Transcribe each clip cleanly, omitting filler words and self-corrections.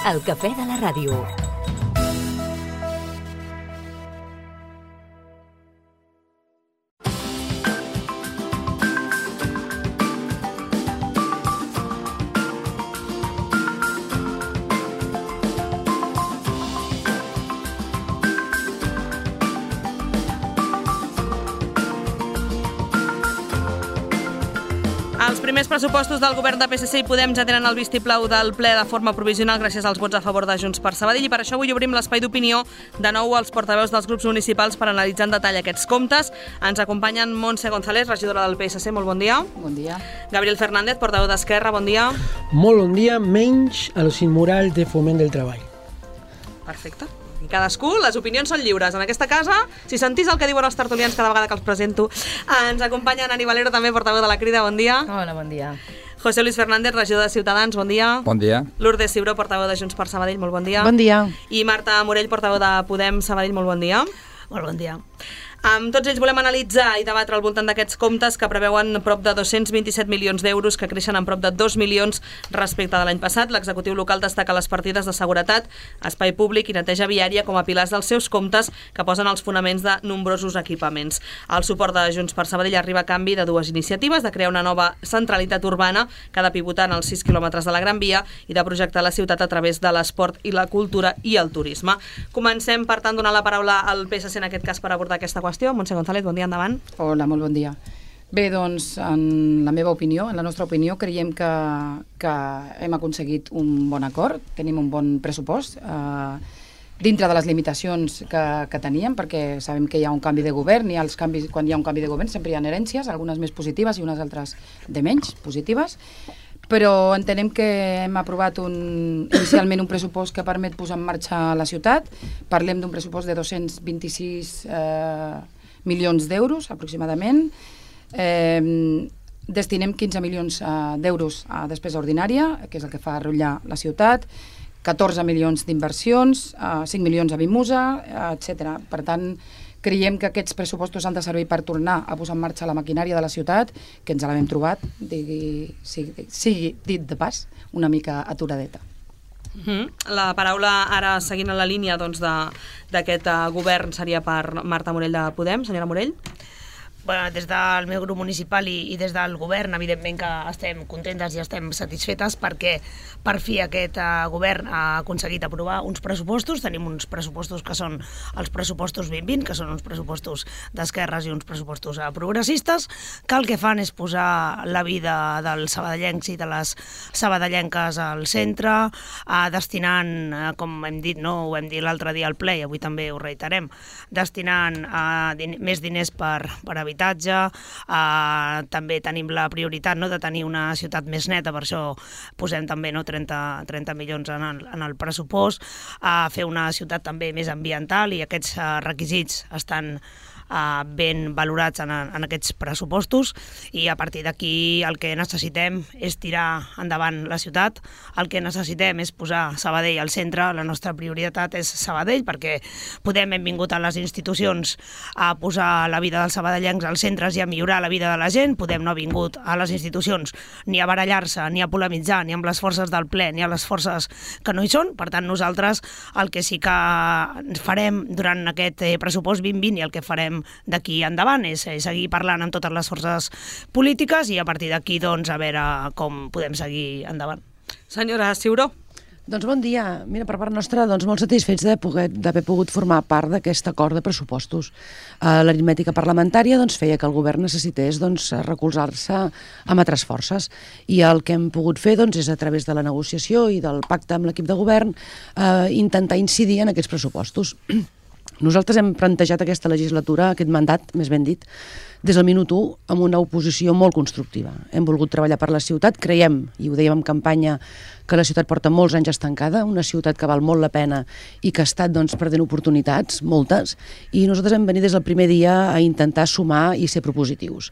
El cafè de la ràdio. Els primers pressupostos del govern de PSC i Podem ja tenen el vistiplau del ple de forma provisional gràcies als vots a favor de Junts per Sabadell i per això avui obrim l'espai d'opinió de nou als portaveus dels grups municipals per analitzar en detall aquests comptes. Ens acompanyen Montse González, regidora del PSC, molt bon dia. Bon dia. Gabriel Fernández, portaveu d'Esquerra, bon dia. Molt bon dia, menys a los immorals de Foment del Treball. Perfecte. I cadascú, les opinions són lliures. En aquesta casa, si sentís el que diuen els tertulians cada vegada que els presento, ens acompanya Nani Valero, també portaveu de la Crida, bon dia. Hola, bon dia. José Luis Fernández, regidor de Ciutadans, bon dia. Bon dia. Lourdes Ciuró, portaveu de Junts per Sabadell, molt bon dia. Bon dia. I Marta Morell, portaveu de Podem Sabadell, molt bon dia. Molt bon dia. Amb tots ells volem analitzar i debatre al voltant d'aquests comptes que preveuen prop de 227 milions d'euros, que creixen en prop de 2 milions respecte de l'any passat. L'executiu local destaca les partides de seguretat, espai públic i neteja viària com a pilars dels seus comptes que posen els fonaments de nombrosos equipaments. El suport de Junts per Sabadell arriba a canvi de dues iniciatives, de crear una nova centralitat urbana que ha de pivotar en els 6 quilòmetres de la Gran Via i de projectar la ciutat a través de l'esport i la cultura i el turisme. Comencem, per tant, donant la paraula al PSC en aquest cas per abordar aquesta qüestió. Montse González, bon dia, endavant. Hola, molt bon dia. Bé, doncs, en la meva opinió, en la nostra opinió, creiem que hem aconseguit un bon acord, tenim un bon pressupost, dintre de les limitacions que teníem, perquè sabem que hi ha un canvi de govern, i els canvis, quan hi ha un canvi de govern sempre hi ha herències, algunes més positives i unes altres de menys positives, però entenem que hem aprovat inicialment un pressupost que permet posar en marxa la ciutat. Parlem d'un pressupost de 226 milions d'euros, aproximadament. Destinem 15 milions d'euros a despesa ordinària, que és el que fa rotllar la ciutat, 14 milions d'inversions, 5 milions a Vimusa, etc. Per tant, creiem que aquests pressupostos han de servir per tornar a posar en marxa la maquinària de la ciutat, que ens l'hem trobat, sigui dit de pas, una mica aturadeta. La paraula ara, seguint en la línia d'aquest govern, seria per Marta Morell de Podem. Senyora Morell? Bueno, des del meu grup municipal i des del govern, evidentment que estem contentes i estem satisfetes perquè per fi aquest govern ha aconseguit aprovar uns pressupostos. Tenim uns pressupostos que són els pressupostos 2020, que són uns pressupostos d'esquerres i uns pressupostos progressistes, que el que fan és posar la vida dels sabadellencs i de les sabadellenques al centre, destinant, com hem dit, ho vam dir l'altre dia al ple i avui també ho reiterem, destinant més diners per habitatge. També tenim la prioritat de tenir una ciutat més neta, per això posem també 30 milions en el pressupost, a fer una ciutat també més ambiental, i aquests requisits estan ben valorats en aquests pressupostos, i a partir d'aquí el que necessitem és tirar endavant la ciutat, el que necessitem és posar Sabadell al centre. La nostra prioritat és Sabadell, perquè Podem hem vingut a les institucions a posar la vida dels sabadellencs als centres i a millorar la vida de la gent. Podem no ha vingut a les institucions ni a barallar-se, ni a polemitzar, ni amb les forces del ple, ni a les forces que no hi són. Per tant, nosaltres el que sí que farem durant aquest pressupost 2020 i el que farem d'aquí endavant és seguir parlant amb totes les forces polítiques i a partir d'aquí a veure com podem seguir endavant. Senyora Ciuró. Doncs bon dia. Mira, per part nostra, molt satisfets d'haver pogut formar part d'aquest acord de pressupostos. L'aritmètica parlamentària feia que el govern necessités recolzar-se amb altres forces, i el que hem pogut fer és, a través de la negociació i del pacte amb l'equip de govern, intentar incidir en aquests pressupostos. Nosaltres hem plantejat aquesta legislatura, aquest mandat, més ben dit, des del minut 1, amb una oposició molt constructiva. Hem volgut treballar per la ciutat, creiem, i ho dèiem en campanya, que la ciutat porta molts anys estancada, una ciutat que val molt la pena i que ha estat perdent oportunitats, moltes, i nosaltres hem venit des del primer dia a intentar sumar i ser propositius.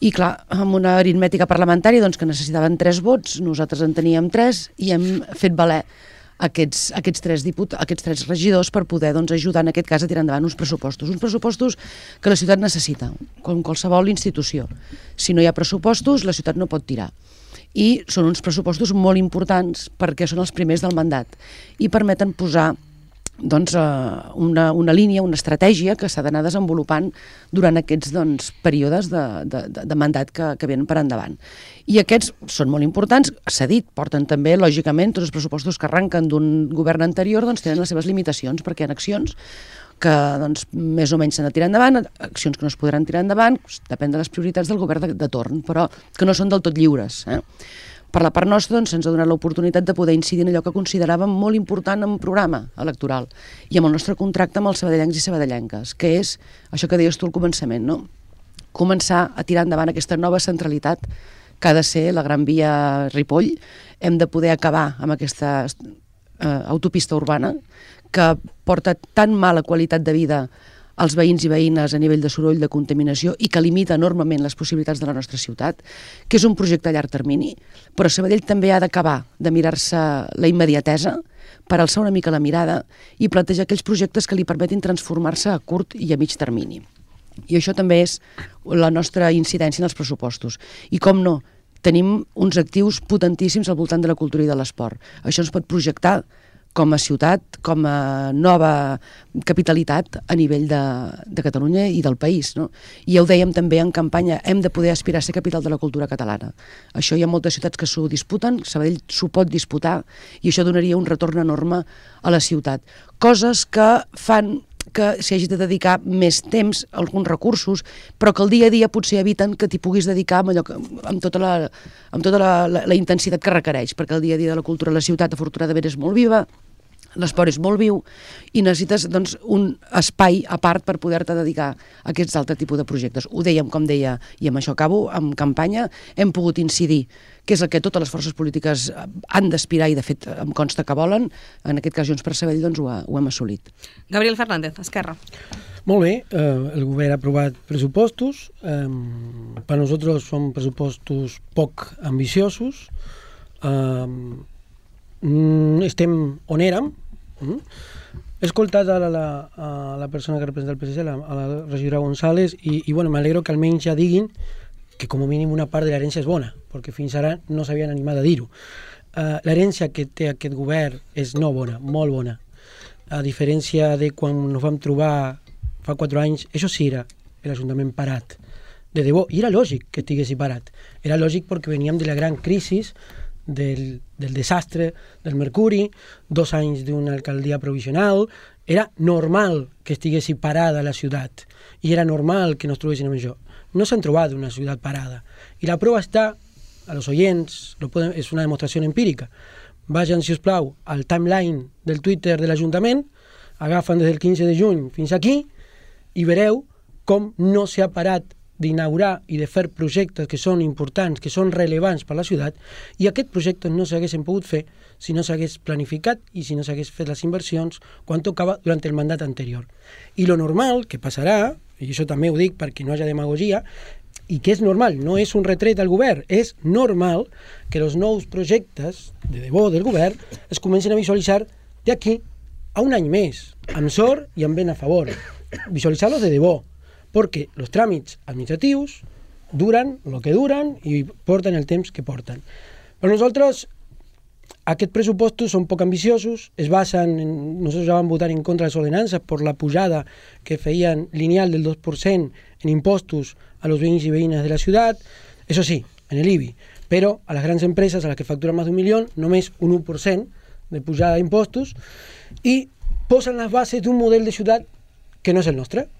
I clar, amb una aritmètica parlamentària que necessitaven 3 vots, nosaltres en teníem 3 i hem fet valer aquests 3 regidors per poder ajudar en aquest cas a tirar endavant uns pressupostos que la ciutat necessita, com qualsevol institució. Si no hi ha pressupostos, la ciutat no pot tirar. i són uns pressupostos molt importants perquè són els primers del mandat i permeten posar doncs, una línia, una estratègia que s'ha d'anar desenvolupant durant aquests períodes de mandat que venen per endavant. I aquests són molt importants, s'ha dit, porten també, lògicament, tots els pressupostos que arrenquen d'un govern anterior tenen les seves limitacions, perquè hi ha accions que més o menys s'han de tirar endavant, accions que no es podran tirar endavant, depèn de les prioritats del govern de torn, però que no són del tot lliures. Per la part nostra se'ns ha donat l'oportunitat de poder incidir en allò que consideràvem molt important en un programa electoral i amb el nostre contracte amb els sabadellencs i sabadellenques, que és això que deies tu al començament, no? Començar a tirar endavant aquesta nova centralitat que ha de ser la Gran Via Ripoll. Hem de poder acabar amb aquesta autopista urbana que porta tan mala qualitat de vida als veïns i veïnes a nivell de soroll, de contaminació i que limita enormement les possibilitats de la nostra ciutat, que és un projecte a llarg termini, però Sabadell també ha d'acabar de mirar-se la immediatesa per alçar una mica la mirada i plantejar aquells projectes que li permetin transformar-se a curt i a mig termini. I això també és la nostra incidència en els pressupostos. I com no, tenim uns actius potentíssims al voltant de la cultura i de l'esport. Això ens pot projectar com a ciutat, com a nova capitalitat a nivell de Catalunya i del país. No? I ja ho dèiem també en campanya, hem de poder aspirar a ser capital de la cultura catalana. Això hi ha moltes ciutats que s'ho disputen, Sabadell s'ho pot disputar i això donaria un retorn enorme a la ciutat. Coses que fan que s'hi hagi de dedicar més temps, alguns recursos, però que el dia a dia potser eviten que t'hi puguis dedicar amb tota la intensitat que requereix, perquè el dia a dia de la cultura a la ciutat afortunadament és molt viva, l'esport és molt viu i necessites un espai a part per poder-te dedicar a aquests altres tipus de projectes. Ho dèiem, com deia, i amb això acabo, en campanya hem pogut incidir, que és el que totes les forces polítiques han d'aspirar i de fet em consta que volen, en aquest cas Junts per Sabadell ho hem assolit. Gabriel Fernández, Esquerra. Molt bé, el govern ha aprovat pressupostos, per nosaltres són pressupostos poc ambiciosos, estem on érem. He escoltat a la persona que representa el PSC, a la regidora González, i bueno, m'alegro que almenys ja diguin que com a mínim una part de l'herència és bona, perquè fins ara no s'havien animat a dir-ho. L'herència que té aquest govern és no bona, molt bona. A diferència de quan ens vam trobar fa 4 anys, això sí era l'Ajuntament parat, de debò, i era lògic que estiguessi parat. Era lògic perquè veníem de la gran crisi del desastre del Mercuri, 2 anys d'una alcaldia provisional, era normal que estiguessi parada la ciutat i era normal que no es trobessin amb això. No s'han trobat una ciutat parada i la prova està, a los oyents, és una demostració empírica. Vagin, si us plau, al timeline del Twitter de l'Ajuntament, agafen des del 15 de juny fins aquí i veureu com no s'ha parat d'inaugurar i de fer projectes que són importants, que són rellevants per a la ciutat, i aquests projectes no s'haguessin pogut fer si no s'hagués planificat i si no s'hagués fet les inversions quan tocava durant el mandat anterior. I lo normal que passarà, i això també ho dic perquè no hi ha demagogia, i que és normal, no és un retret al govern, és normal que els nous projectes de debò del govern es comencin a visualitzar d'aquí a un any més, amb sort i amb vent a favor. Visualitzar-los de debò, perquè els tràmits administratius duren el que duren i porten el temps que porten. Per nosaltres, aquests pressupostos són poc ambiciosos, es basen nosaltres ja vam votar en contra de les ordenances per la pujada que feien lineal del 2% en impostos a los veïns i veïnes de la ciutat, eso sí, en el IBI, però a les grans empreses, a les que facturen més d'1 milió, només un 1% de pujada d'impostos, i posen les bases d'un model de ciutat que no és el nostre.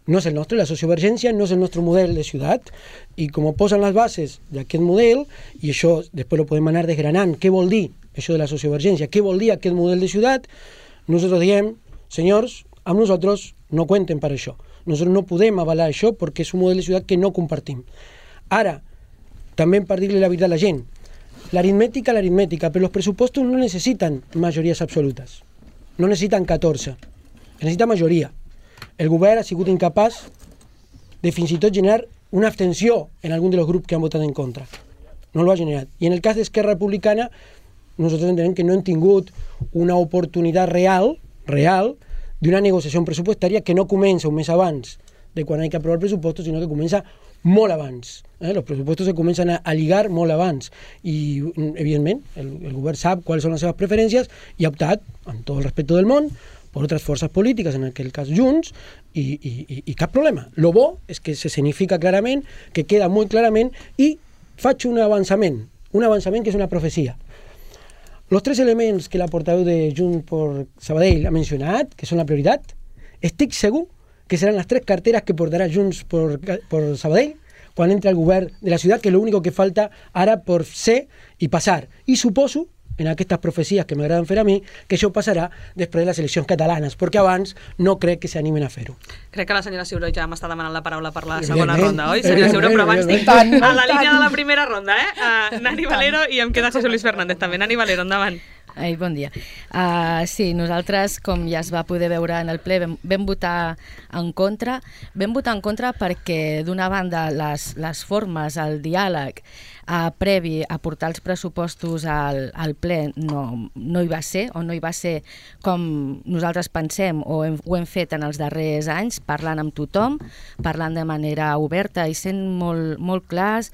No és el nostre, la sociovergència no és el nostre model de ciutat, i com posen les bases d'aquest model, i això després ho podem anar desgranant, què vol dir això de la sociovergència, què vol dir aquest model de ciutat, nosaltres diem, senyors, amb nosaltres no cuenten per això. Nosaltres no podem avalar això perquè és un model de ciutat que no compartim. Ara, també per dir-li la veritat a la gent, l'aritmètica, però els pressupostos no necessiten majories absolutes, no necessiten 14, necessita majoria. El govern ha sigut incapaç de fins i tot generar una abstenció en algun dels grups que han votat en contra. No l'ha generat. I en el cas d'Esquerra Republicana, nosaltres entenem que no hem tingut una oportunitat real d'una negociació pressupostària que no comença un mes abans de quan hi ha que aprovar el pressupost, sinó que comença molt abans. Los pressupostos se comencen a lligar molt abans i, evidentment, el govern sap quals són les seves preferències i ha optat, amb tot el respecte del món, per altres forces polítiques, en aquest cas Junts, i cap problema. Lo bo és que se significa clarament, que queda molt clarament, i faig un avançament que és una profecia. Los 3 elements que la portaveu de Junts per Sabadell ha mencionat, que són la prioritat, estic segur que seran las 3 carteras que portará Junts por Sabadell quan entre al govern de la ciutat, que és l'únic que falta ara per ser i passar. I suposo, en aquestes profecies que m'agraden fer a mi, que això passarà després de les eleccions catalanes, perquè abans no crec que s'animen a fer-ho. Crec que la senyora Ciuró ja m'està demanant la paraula per la segona ronda, oi, senyora Ciuró? Però abans tinc a la línia de la primera ronda, Nani Valero, i em queda José Luis Fernández també. Nani Valero, endavant. Ai, bon dia. Sí, nosaltres, com ja es va poder veure en el ple, vam votar en contra. Vam votar en contra perquè, d'una banda, les formes, el diàleg previ a portar els pressupostos al ple no hi va ser, o no hi va ser com nosaltres pensem o ho hem fet en els darrers anys, parlant amb tothom, parlant de manera oberta i sent molt clars,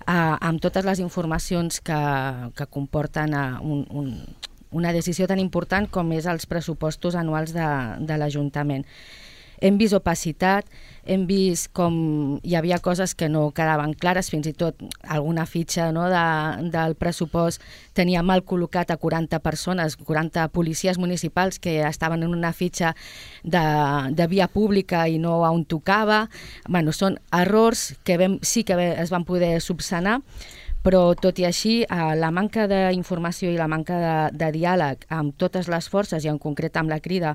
amb totes les informacions que comporten una decisió tan important com és els pressupostos anuals de l'Ajuntament. Hem vist opacitat, hem vist com hi havia coses que no quedaven clares, fins i tot alguna fitxa del pressupost tenia mal col·locat a 40 persones, 40 policies municipals que estaven en una fitxa de via pública i no on tocava. Bueno, són errors que sí que es van poder subsanar, però tot i així la manca d'informació i la manca de diàleg amb totes les forces i en concret amb la Crida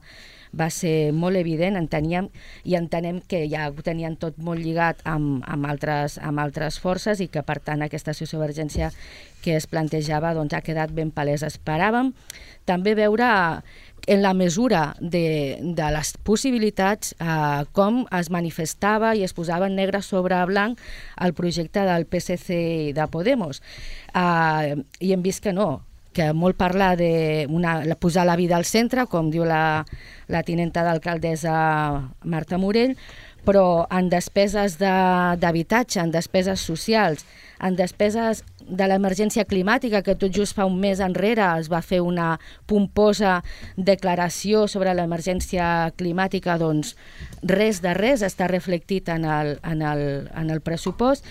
va ser molt evident. Entenem que ja ho tenien tot molt lligat amb altres forces i que per tant aquesta sociovergència que es plantejava ha quedat ben palesa. Esperàvem també veure en la mesura de les possibilitats com es manifestava i es posava en negre sobre blanc el projecte del PSC i de Podemos. I hem vist que no, que molt parlar de posar la vida al centre, com diu la tinenta d'alcaldessa Marta Morell, però en despeses d'habitatge, en despeses socials, en despeses de l'emergència climàtica, que tot just fa un mes enrere es va fer una pomposa declaració sobre l'emergència climàtica, doncs res de res està reflectit en el pressupost.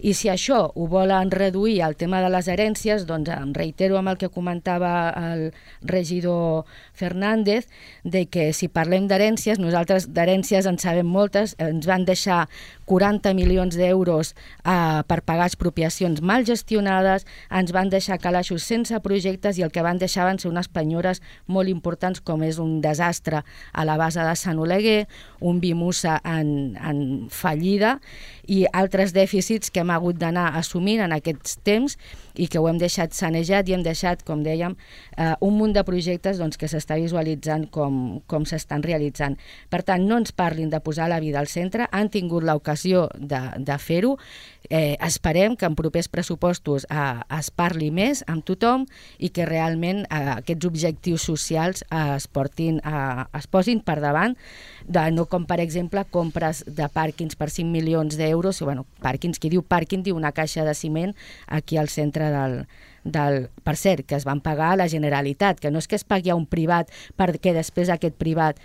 I si això ho volen reduir al tema de les herències, doncs em reitero amb el que comentava el regidor Fernández, de que si parlem d'herències, nosaltres d'herències en sabem moltes, ens van deixar 40 milions d'euros per pagar expropiacions mal gestionades, ens van deixar calaixos sense projectes i el que van deixar van ser unes penyores molt importants, com és un desastre a la base de Sant Oleguer, un Bimusa en fallida i altres dèficits que hem hagut d'anar assumint en aquests temps i que ho hem deixat sanejat i hem deixat, com dèiem, un munt de projectes que s'està visualitzant com s'estan realitzant. Per tant, no ens parlin de posar la vida al centre, han tingut l'ocasió de fer-ho. Esperem que en propers pressupostos es parli més amb tothom i que realment aquests objectius socials es posin per davant, no com per exemple compres de pàrquings per 5 milions d'euros, pàrquings, qui diu pàrquing diu una caixa de ciment aquí al centre per cert, que es van pagar a la Generalitat, que no és que es pagui a un privat perquè després aquest privat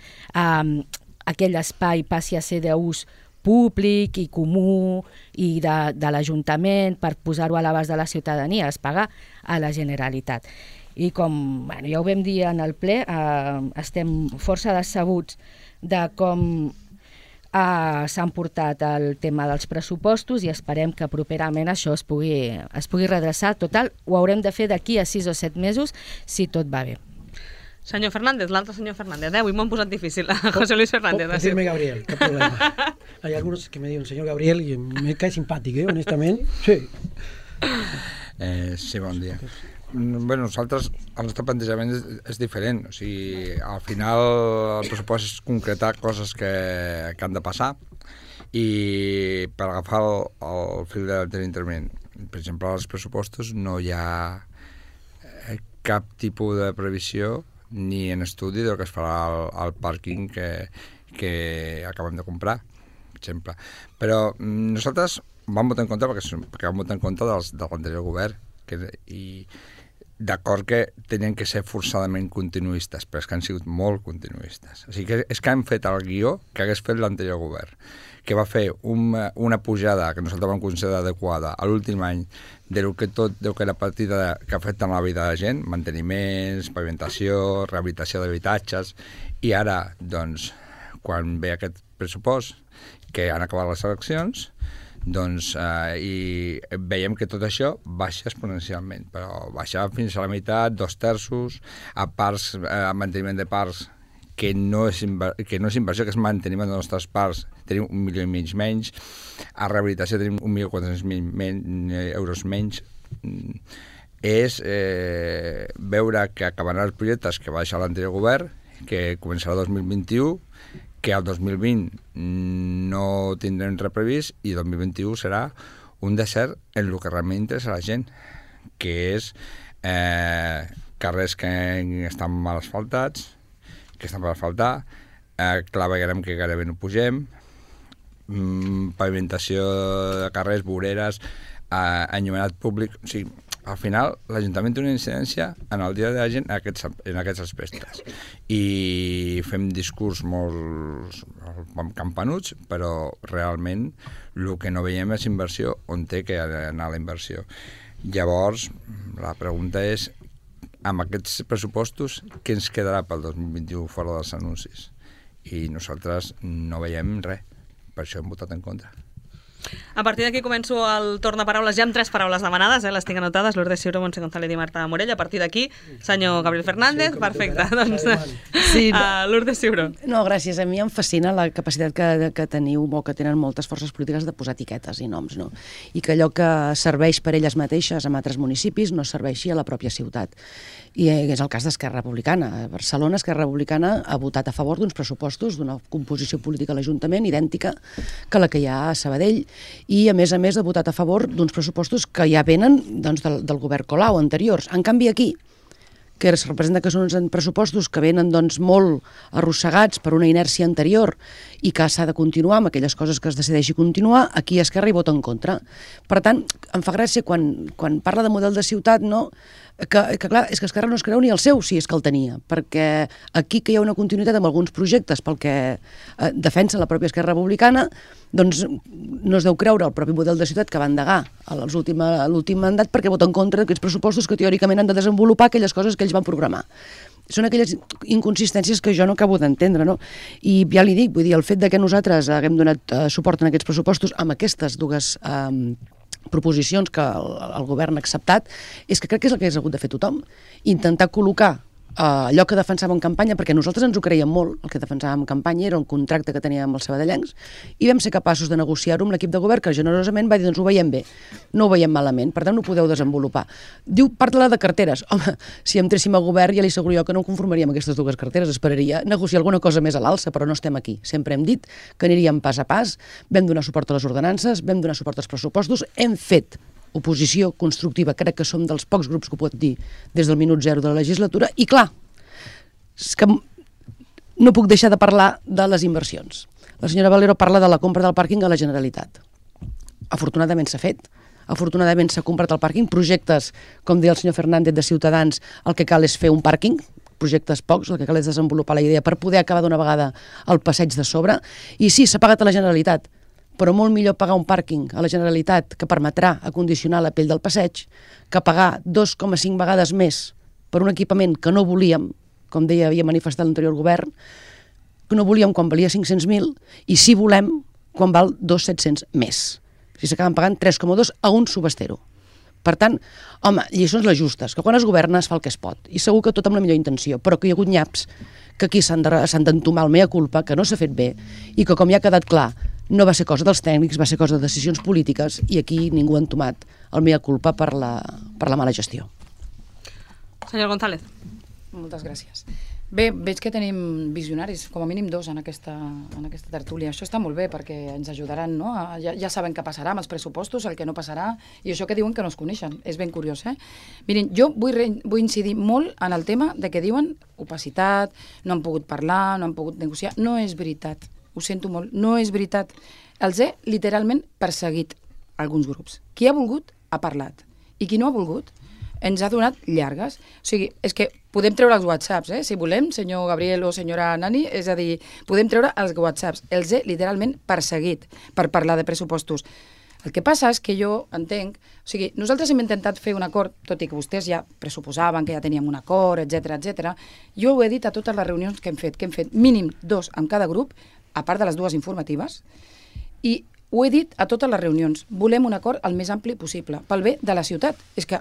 aquell espai passi a ser d'ús públic i comú i de l'Ajuntament per posar-ho a l'abast de la ciutadania, es paga a la Generalitat. I com ja ho vam dir en el ple, estem força decebuts de com s'han portat el tema dels pressupostos i esperem que properament això es pugui redreçar. Total, ho haurem de fer d'aquí a 6 o 7 mesos si tot va bé. Senyor Fernández, l'altre senyor Fernández, avui m'ho han posat difícil. José Luis Fernández. Puedo decirme Gabriel, cap problema. Hay algunos que me diuen señor Gabriel y me cae simpàtic, honestament. Sí. Sí, bon dia. Bé, nosaltres, el nostre plantejament és diferent. O sigui, al final el pressupost és concretar coses que han de passar i per agafar el fil de l'interveniment. Per exemple, als pressupostos no hi ha cap tipus de previsió ni en estudi del que es farà al pàrquing que acabem de comprar, per exemple. Però nosaltres vam votar en contra perquè vam votar en contra de l'anterior govern, i d'acord que tenien que ser forçadament continuistes, però és que han sigut molt continuistes. O sigui que és que han fet el guió que hagués fet l'anterior govern, que va fer una pujada que nosaltres vam considerar adequada a l'últim any del que la partida que afecta la vida de la gent, manteniments, pavimentació, rehabilitació d'habitatges, i ara, doncs, quan ve aquest pressupost, que han acabat les eleccions, doncs, i veiem que tot això baixa exponencialment, però baixa fins a la meitat, 2/3, a parcs, a manteniment de parcs, que no és inversió, que és manteniment dels nostres parcs, tenim 1,5 milions menys, a rehabilitació tenim 1.400.000 euros menys. És veure que acabaran els projectes que va deixar l'anterior govern, que començarà el 2021, que el 2020 no tindrem res previst, i el 2021 serà un desert en el que realment interessa a la gent, que és carrers que estan mal asfaltats, que estan per asfaltar, claveguerem que gairebé no pugem, pavimentació de carrers, voreres, enllumenat públic. O sigui, al final, l'Ajuntament té una incidència en el dia de la gent en aquests aspectes. I fem discurs molt campanuts, però realment el que no veiem és inversió on té que anar la inversió. Llavors, la pregunta és, amb aquests pressupostos, què ens quedarà pel 2021 fora dels anuncis? I nosaltres no veiem res, per això hem votat en contra. A partir d'aquí començo el torn de paraules, ja amb 3 paraules demanades, les tinc anotades, Lourdes Ciuró, Montse González i Marta Morell. A partir d'aquí, senyor Gabriel Fernández, perfecte. Doncs, Sí, Lourdes Ciuró. No, gràcies. A mi em fascina la capacitat que teniu, o que tenen moltes forces polítiques, de posar etiquetes i noms, no? I que allò que serveix per elles mateixes en altres municipis no serveixi a la pròpia ciutat. I és el cas d'Esquerra Republicana. A Barcelona, Esquerra Republicana ha votat a favor d'uns pressupostos, d'una composició política a l'Ajuntament idèntica que la que hi ha a Sabadell, i a més ha votat a favor d'uns pressupostos que ja venen, doncs, del govern Colau anteriors. En canvi aquí, que es representa que són uns pressupostos que venen, doncs, molt arrossegats per una inèrcia anterior i que s'ha de continuar amb aquelles coses que es decideixi continuar, aquí Esquerra hi vota en contra. Per tant, em fa gràcia quan parla de model de ciutat, no? Que clar, és que Esquerra no es creu ni el seu, si és que el tenia, perquè aquí que hi ha una continuïtat amb alguns projectes pel que defensa la pròpia Esquerra Republicana, doncs no es deu creure el propi model de ciutat que va endegar a l'últim mandat, perquè vota en contra d'aquests pressupostos que teòricament han de desenvolupar aquelles coses que ells van programar. Són aquelles inconsistències que jo no acabo d'entendre, no? I ja li dic, vull dir, el fet de que nosaltres haguem donat suport en aquests pressupostos amb aquestes dues proposicions que el govern ha acceptat, és que crec que és el que hagués hagut de fer tothom. Intentar col·locar allò que defensàvem en campanya, perquè nosaltres ens ho creiem molt, el que defensàvem en campanya era un contracte que teníem amb els sabadellencs, i vam ser capaços de negociar-ho amb l'equip de govern, que generosament va dir, doncs ho veiem bé, no ho veiem malament, per tant ho podeu desenvolupar. Diu, parla de carteres. Home, si entréssim a govern ja li asseguro jo que no conformaria amb aquestes dues carteres, esperaria negociar alguna cosa més a l'alça, però no estem aquí. Sempre hem dit que aniríem pas a pas, vam donar suport a les ordenances, vam donar suport als pressupostos, hem fet oposició constructiva, crec que som dels pocs grups que ho pot dir des del minut zero de la legislatura, i clar, és que no puc deixar de parlar de les inversions. La senyora Valero parla de la compra del pàrquing a la Generalitat. Afortunadament s'ha fet, afortunadament s'ha comprat el pàrquing, projectes, com deia el senyor Fernández de Ciutadans, el que cal és fer un pàrquing, projectes pocs, el que cal és desenvolupar la idea per poder acabar d'una vegada el passeig de sobre, i sí, s'ha pagat a la Generalitat, però molt millor pagar un pàrquing a la Generalitat que permetrà acondicionar la pell del passeig que pagar 2,5 vegades més per un equipament que no volíem, com deia, havia manifestat l'anterior govern, que no volíem quan valia 500.000 i sí volem quan val 2.700 més. Si s'acaben pagant 3,2 a un subestero. Per tant, home, lliçons les justes, que quan es governa es fa el que es pot, i segur que tot amb la millor intenció, però que hi ha hagut nyaps que aquí s'han d'entomar el mea culpa, que no s'ha fet bé, i que com ja ha quedat clar, no va ser cosa dels tècnics, va ser cosa de decisions polítiques, i aquí ningú ha entomat el mea culpa per la mala gestió. Senyor González. Moltes gràcies. Bé, veig que tenim visionaris, com a mínim 2 en aquesta tertúlia. Això està molt bé perquè ens ajudaran, no? Ja saben què passarà amb els pressupostos, el que no passarà, i això que diuen que no es coneixen. És ben curiós, eh? Mirin, jo vull incidir molt en el tema de que diuen opacitat, no han pogut parlar, no han pogut negociar. No és veritat. Ho sento molt, no és veritat. Els he literalment perseguit alguns grups. Qui ha volgut, ha parlat. I qui no ha volgut, ens ha donat llargues. O sigui, és que podem treure els whatsapps, si volem, senyor Gabriel o senyora Nani, és a dir, podem treure els whatsapps. Els he literalment perseguit per parlar de pressupostos. El que passa és que jo entenc... O sigui, nosaltres hem intentat fer un acord, tot i que vostès ja pressuposaven que ja teníem un acord, etc. Jo ho he dit a totes les reunions que hem fet mínim 2 amb cada grup, a part de les 2 informatives, i ho he dit a totes les reunions. Volem un acord el més ampli possible, pel bé de la ciutat. És que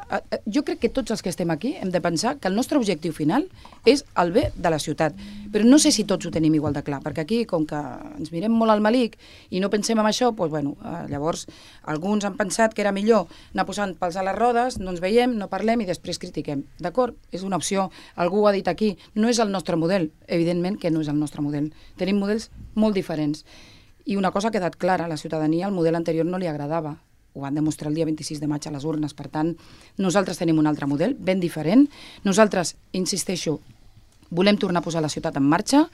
jo crec que tots els que estem aquí hem de pensar que el nostre objectiu final és el bé de la ciutat. Però no sé si tots ho tenim igual de clar, perquè aquí, com que ens mirem molt al malic i no pensem en això, doncs, bueno, llavors alguns han pensat que era millor anar posant pals a les rodes, no ens veiem, no parlem i després critiquem. D'acord? És una opció. Algú ho ha dit aquí. No és el nostre model. Evidentment que no és el nostre model. Tenim models molt diferents. I una cosa ha quedat clara, a la ciutadania el model anterior no li agradava. Ho van demostrar el dia 26 de maig a les urnes. Per tant, nosaltres tenim un altre model, ben diferent. Nosaltres, insisteixo, volem tornar a posar la ciutat en marxa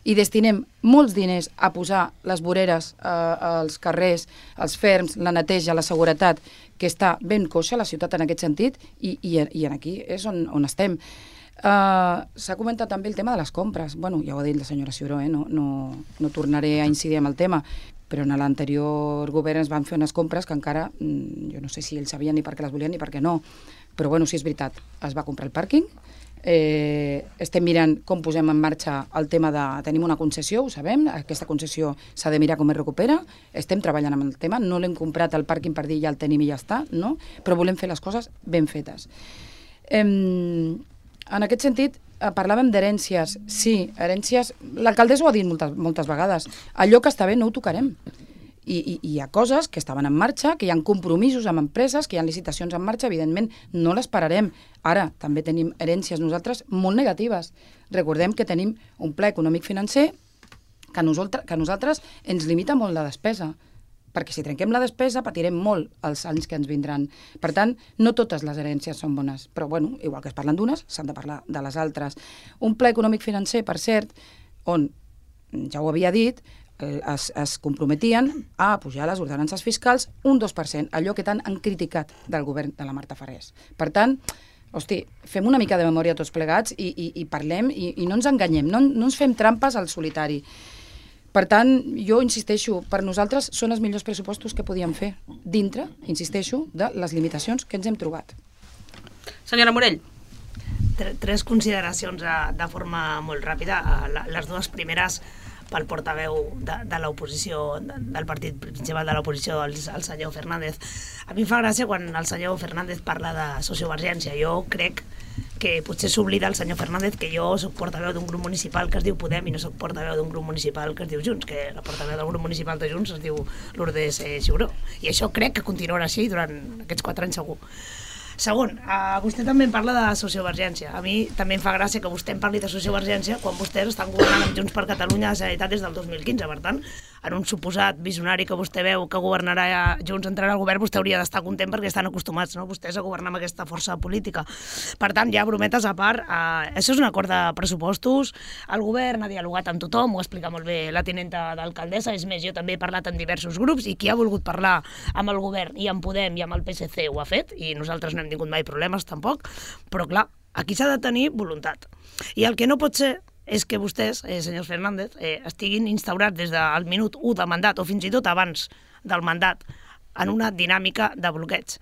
i destinem molts diners a posar les voreres als carrers, als ferms, la neteja, la seguretat, que està ben coixa la ciutat en aquest sentit, i aquí és on estem. S'ha comentat també el tema de les compres. Bueno, ja ho ha dit la senyora Ciuró, no tornaré a incidir en el tema, però en l'anterior govern es van fer unes compres que encara, jo no sé si ells sabien ni per què les volien ni per què no, però bueno, sí és veritat, es va comprar el pàrquing, estem mirant com posem en marxa el tema de... Tenim una concessió, ho sabem, aquesta concessió s'ha de mirar com es recupera, estem treballant amb el tema, no l'hem comprat al pàrquing per dir ja el tenim i ja està, no? Però volem fer les coses ben fetes. En aquest sentit, parlàvem d'herències. Sí, herències... L'alcaldessa ho ha dit moltes vegades. Allò que està bé no ho tocarem. I hi ha coses que estaven en marxa, que hi ha compromisos amb empreses, que hi ha licitacions en marxa, evidentment no les pararem. Ara, també tenim herències nosaltres molt negatives. Recordem que tenim un pla econòmic-financer que a nosaltres ens limita molt la despesa, perquè si trenquem la despesa patirem molt els anys que ens vindran. Per tant, no totes les herències són bones, però bueno, igual que es parlen d'unes, s'han de parlar de les altres. Un pla econòmic-financer, per cert, on, ja ho havia dit, es comprometien a pujar les ordenances fiscals un 2%, allò que tant han criticat del govern de la Marta Farrés. Per tant, hosti, fem una mica de memòria tots plegats i parlem i no ens enganyem, no ens fem trampes al solitari. Per tant, jo insisteixo, per nosaltres són els millors pressupostos que podíem fer dintre, insisteixo, de les limitacions que ens hem trobat. Senyora Morell. Tres consideracions de forma molt ràpida. Les dues primeres pel portaveu de l'oposició, del partit principal de l'oposició, el senyor Fernández. A mi em fa gràcia quan el senyor Fernández parla de sociovergència. Jo crec que potser s'oblida el senyor Fernández que jo soc portaveu d'un grup municipal que es diu Podem i no soc portaveu d'un grup municipal que es diu Junts, que la portaveu del grup municipal de Junts es diu Lourdes Ciuró. I això crec que continuarà així durant aquests 4 anys segur. Segon, vostè també em parla de sociovergència. A mi també em fa gràcia que vostè em parli de sociovergència quan vostès estan governant amb Junts per Catalunya a la Generalitat des del 2015. Per tant, en un suposat visionari que vostè veu que governarà Junts, entrarà al govern, vostè hauria d'estar content perquè estan acostumats, no?, vostès a governar amb aquesta força política. Per tant, ja brometes a part, això és un acord de pressupostos, el govern ha dialogat amb tothom, ho explica molt bé la tinenta d'alcaldessa, és més, jo també he parlat amb diversos grups i qui ha volgut parlar amb el govern i amb Podem i amb el PSC ho ha fet, i nosaltres no hem tingut mai problemes tampoc, però clar, aquí s'ha de tenir voluntat. I el que no pot ser és que vostès, senyor Fernández, estiguin instaurats des del minut 1 de mandat o fins i tot abans del mandat en una dinàmica de bloqueig.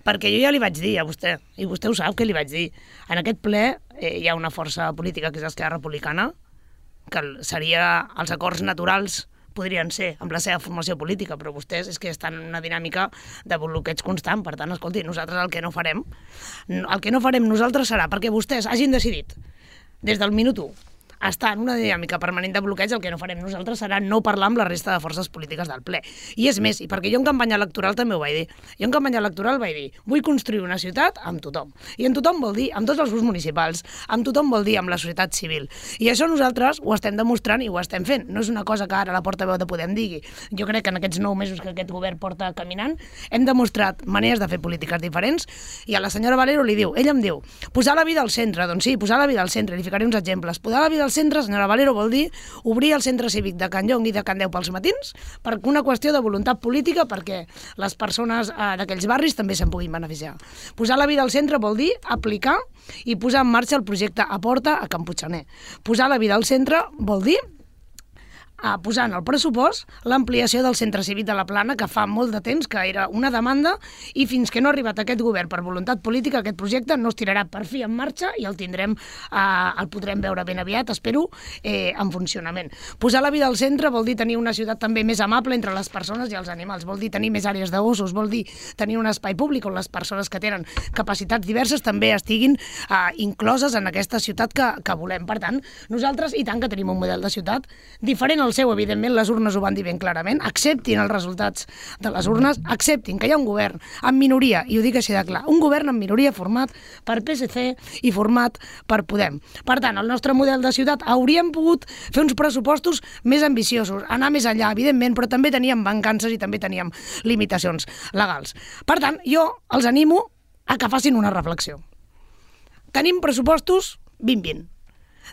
Perquè jo ja li vaig dir a vostè, i vostè ho sap que li vaig dir, en aquest ple hi ha una força política que és l'Esquerra Republicana, que seria els acords naturals podrien ser amb la seva formació política, però vostès és que estan en una dinàmica de bloqueig constant. Per tant, escolti, nosaltres el que no farem nosaltres serà perquè vostès hagin decidit des del minut 1 estar en una dinàmica permanent de bloqueig, el que no farem nosaltres serà no parlar amb la resta de forces polítiques del ple. I és més, i perquè jo en campanya electoral també ho vaig dir, jo en campanya electoral vaig dir, vull construir una ciutat amb tothom. I en tothom vol dir amb tots els grups municipals, amb tothom vol dir amb la societat civil. I això nosaltres ho estem demostrant i ho estem fent. No és una cosa que ara la portaveu de Podem digui. Jo crec que en aquests 9 mesos que aquest govern porta caminant hem demostrat maneres de fer polítiques diferents i a la senyora Valero li diu, ella em diu, posar la vida al centre. Doncs sí, posar la vida al centre, li ficaré uns exemples. Posar la vida al del centre, senyora Valero, vol dir obrir el centre cívic de Can Llong i de Can Deu pels matins per una qüestió de voluntat política perquè les persones d'aquells barris també se'n puguin beneficiar. Posar la vida al centre vol dir aplicar i posar en marxa el projecte Aporta a Can Puigxaner. Posar la vida al centre vol dir posar en el pressupost l'ampliació del centre cívic de la Plana, que fa molt de temps que era una demanda, i fins que no ha arribat aquest govern per voluntat política, aquest projecte no es tirarà per fi en marxa i el podrem veure ben aviat, espero, en funcionament. Posar la vida al centre vol dir tenir una ciutat també més amable entre les persones i els animals, vol dir tenir més àrees de gossos, vol dir tenir un espai públic on les persones que tenen capacitats diverses també estiguin incloses en aquesta ciutat que volem. Per tant, nosaltres, i tant que tenim un model de ciutat diferent al seu, evidentment, les urnes ho van dir ben clarament, acceptin els resultats de les urnes, acceptin que hi ha un govern en minoria, i ho dic així de clar, un govern en minoria format per PSC i format per Podem. Per tant, el nostre model de ciutat hauríem pogut fer uns pressupostos més ambiciosos, anar més enllà, evidentment, però també teníem mancances i també teníem limitacions legals. Per tant, jo els animo a que facin una reflexió. Tenim pressupostos 2020.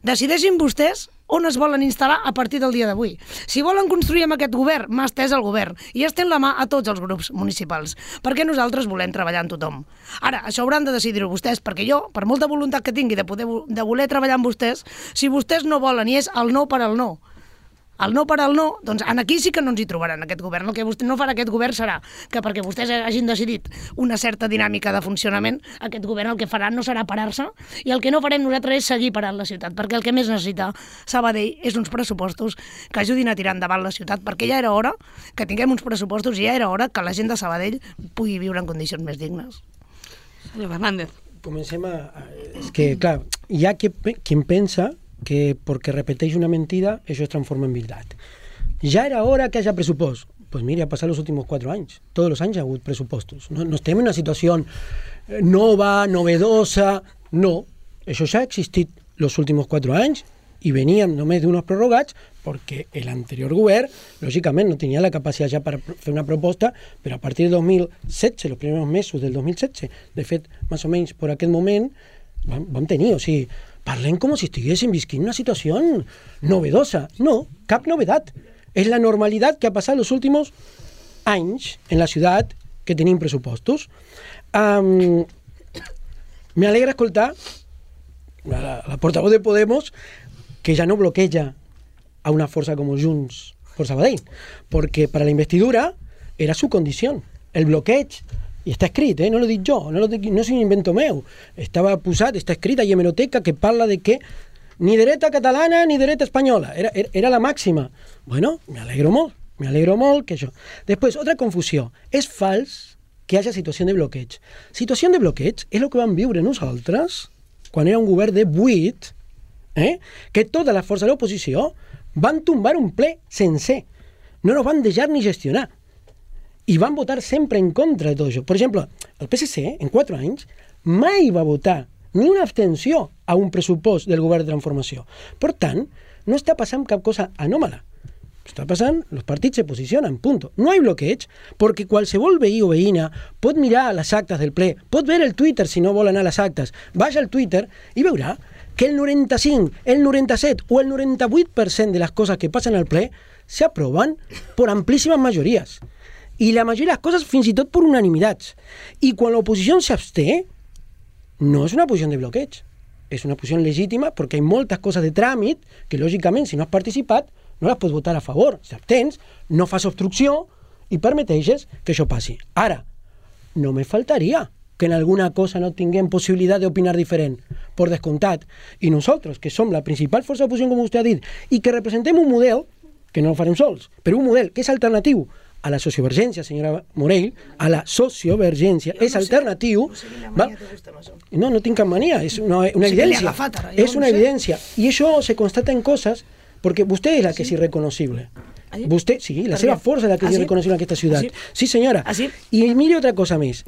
Decideixin vostès on es volen instal·lar a partir del dia d'avui. Si volen construir amb aquest govern, mà estès al govern i estén la mà a tots els grups municipals, perquè nosaltres volem treballar amb tothom. Ara, això hauran de decidir-ho vostès, perquè jo, per molta voluntat que tingui de voler treballar amb vostès, si vostès no volen i és el no per al no, el no per al no, doncs aquí sí que no ens hi trobaran, aquest govern. El que no farà aquest govern serà que perquè vostès hagin decidit una certa dinàmica de funcionament, aquest govern el que farà no serà parar-se, i el que no farem nosaltres és seguir parant la ciutat, perquè el que més necessita Sabadell és uns pressupostos que ajudin a tirar endavant la ciutat, perquè ja era hora que tinguem uns pressupostos i ja era hora que la gent de Sabadell pugui viure en condicions més dignes. Senyor Fernández. Comencem És que, clar, hi ha quien pensa que porque repeteix una mentira, eso se transforma en verdad. Ya era hora que haya presupuesto. Pues mire, ha pasado los últimos 4 años. Todos los años ha habido presupuestos. No estem en una situación nova, novedosa. No, eso ya ha existit los últimos 4 anys i veníem només d'unos prorrogats perquè l'anterior govern, lògicament, no tenia la capacitat ja per fer una proposta, però a partir del 2017, los primeros mesos del 2017, de fet, més o menys per aquest moment, vam tenir, o sigui, parlem com si estiguéssim visquint una situació novedosa. No, cap novedat. És la normalitat que ha passat els últims anys en la ciutat que tenim pressupostos. Me alegra escoltar la portavoz de Podemos que ja no bloqueja a una força com Junts per Sabadell, perquè per a la investidura era su condició. El bloqueig, i està escrit, no lo dic jo, no és un invento meu, estava posat, està escrit a hemeroteca que parla de que ni dreta catalana ni dreta espanyola, era la màxima. Bueno, me alegro molt que això. Després, otra confusió, és fals que hi hagi situació de bloqueig. Situació de bloqueig és el que vam viure nosaltres quan era un govern de 8, que tota la força de l'oposició van tombar un ple sencer, no nos van deixar ni gestionar. I van votar sempre en contra de tot això. Per exemple, el PSC, en 4 anys, mai va votar ni una abstenció a un pressupost del govern de transformació. Per tant, no està passant cap cosa anòmala. Està passant, els partits se posicionen, punto. No hi ha bloqueig, perquè qualsevol veí o veïna pot mirar les actes del ple, pot veure el Twitter si no vol anar a les actes, vaja al Twitter i veurà que el 95, el 97 o el 98% de les coses que passen al ple s'aproven per amplíssimes majories. I la majoria de les coses fins i tot per unanimitats. I quan l'oposició s'absté, no és una posició de bloqueig, és una posició legítima perquè hi ha moltes coses de tràmit que, lògicament, si no has participat, no les pots votar a favor. Si abstens, no fas obstrucció i permeteixes que això passi. Ara, no me faltaria que en alguna cosa no tinguem possibilitat d'opinar diferent, per descomptat. I nosaltres, que som la principal força d'oposició, com vostè ha dit, i que representem un model, que no el farem sols, però un model que és alternatiu a la sociovergència, senyora Morell, a la sociovergència, és alternatiu... No tinc cap mania, és una evidència. És una evidència. I això se constata en coses, perquè vostè és la que és irreconocible. Vostè, sí, la seva força és la que és irreconocible en aquesta ciutat. Sí, senyora. I mire otra cosa més.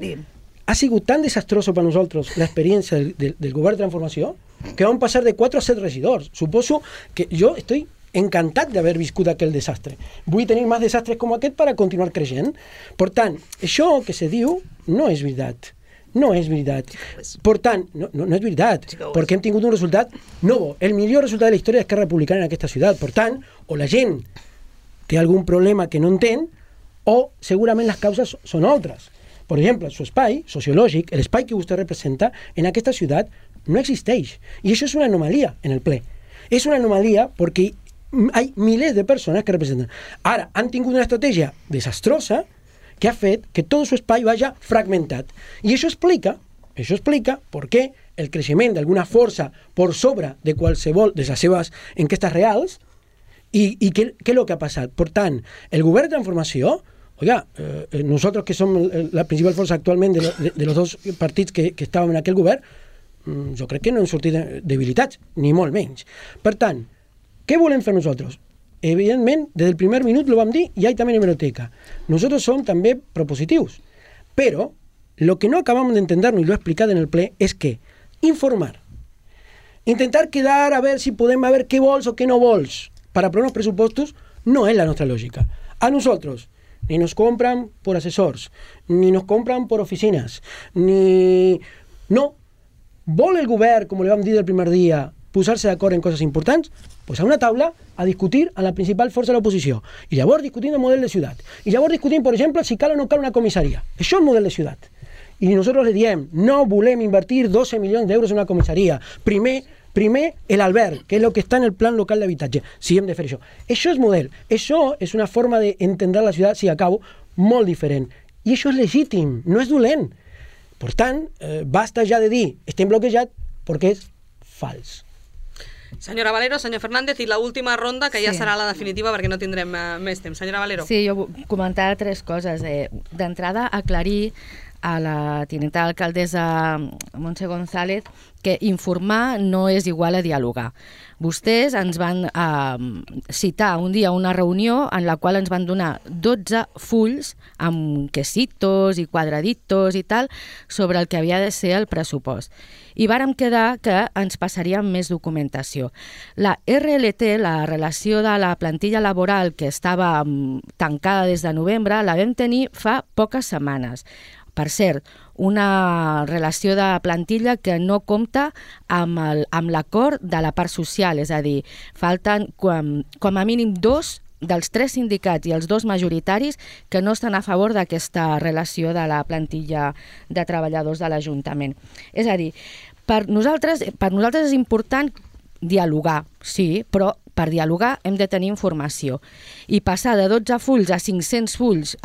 Ha sigut tan desastroso per nosaltres l'experiència del govern de transformació que vam passar de 4 a 7 regidors. Suposo que jo estoy encantat d'haver viscut aquell desastre. Vull tenir més desastres com aquest per a continuar creixent. Per tant, això que se diu no és veritat. No és veritat. Per tant, no és veritat, perquè hem tingut un resultat nou, el millor resultat de la història d'Esquerra Republicana en aquesta ciutat. Per tant, o la gent té algun problema que no entén, o segurament les causes són altres. Per exemple, su espai sociològic, l'espai que vostè representa en aquesta ciutat no existeix. I això és una anomalia en el ple. És una anomalia perquè hay miles de persones que representen. Ara, han tingut una estratègia desastrosa que ha fet que tot su espai vaya fragmentat. I això explica per què el creixement d'alguna força per sobre de qualsevol de les seves enquestes reals i què és el que ha passat. Per tant, el govern de transformació, nosotros que som la principal força actualment de los dos partits que estàvem en aquell govern, jo crec que no hem sortit debilitats, ni molt menys. Per tant, què volem fer nosaltres? Evidentment, des del primer minut lo vam dir y hay también hemeroteca. Nosotros som també propositius. Pero lo que no acabamos de entendernos, y lo he explicado en el ple, es que informar, intentar quedar a ver si podem a ver què vols o què no vols para aprovar uns pressupostos no és la nostra lògica. A nosotros ni nos compran por asesors, ni nos compran por oficinas, ni... No. Vol el govern, com li vam dir del primer dia, posar-se d'acord en coses importants, pues a una taula a discutir a la principal força de l'oposició. I llavors discutim el model de ciutat. I llavors discutim, per exemple, si cal o no cal una comissaria. Això és el model de ciutat. I nosaltres le diem, no volem invertir 12 milions d'euros en una comissaria. Primer el alberg, que és el que està en el plan local d'habitatge. Si hem de fer això. Això és model. Això és una forma d'entendre la ciutat, si acabo, molt diferent. I això és legítim, no és dolent. Per tant, basta ja de dir, estem bloquejats, perquè és fals. Senyora Valero, senyor Fernández, i l'última ronda, que ja serà la definitiva perquè no tindrem més temps. Senyora Valero. Sí, jo comentar 3 coses. D'entrada, aclarir a la tinenta alcaldessa Montse González que informar no és igual a dialogar. Vostès ens van citar un dia una reunió en la qual ens van donar 12 fulls amb quesitos i quadraditos i tal sobre el que havia de ser el pressupost. I vàrem quedar que ens passaríem més documentació. La RLT, la relació de la plantilla laboral que estava tancada des de novembre, la vam tenir fa poques setmanes. Per cert, una relació de plantilla que no compta amb l'acord de la part social, és a dir, falten com a mínim 2 dels 3 sindicats i els 2 majoritaris que no estan a favor d'aquesta relació de la plantilla de treballadors de l'Ajuntament. És a dir, per nosaltres és important dialogar, sí, però per dialogar hem de tenir informació. I passar de 12 fulls a 500 fulls